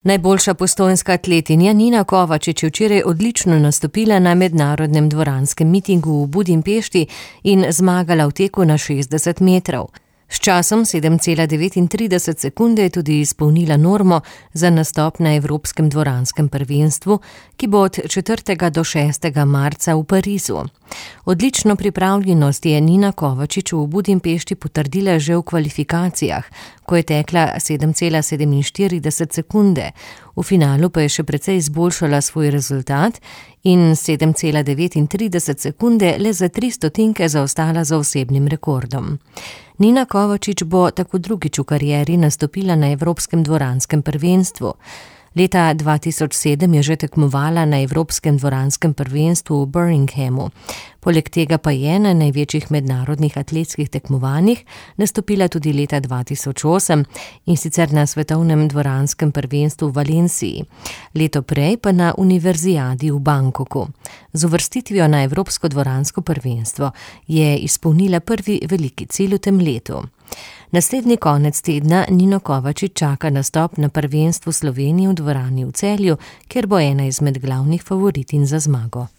Najboljša postojnska atletinja Nina Kovačič je včeraj odlično nastopila na mednarodnem dvoranskem mitingu v Budimpešti in zmagala v teku na 60 metrov. S časom 7,39 sekunde je tudi izpolnila normo za nastop na Evropskem dvoranskem prvenstvu, ki bo od 4. do 6. marca v Parizu. Odlično pripravljenost je Nina Kovačič v Budimpešti potrdila že v kvalifikacijah, ko je tekla 7,47 sekunde. V finalu pa je še precej izboljšala svoj rezultat in 7,39 sekunde le za 3 stotinke zaostala za osebnim rekordom. Nina Kovačič bo tako drugič v karieri nastopila na Evropskem dvoranskem prvenstvu. Leta 2007 je že tekmovala na Evropskem dvoranskem prvenstvu v Birminghamu. Poleg tega pa je na največjih mednarodnih atletskih tekmovanjih nastopila tudi leta 2008 in sicer na svetovnem dvoranskem prvenstvu v Valenciji. Leto prej pa na univerzijadi v Bangkoku. Z uvrstitvijo na Evropsko dvoransko prvenstvo je izpolnila prvi veliki cilj v tem letu. Naslednji konec tedna Nino Kovačič čaka nastop na prvenstvu Slovenije v dvorani v Celju, kjer bo ena izmed glavnih favoritinj za zmago.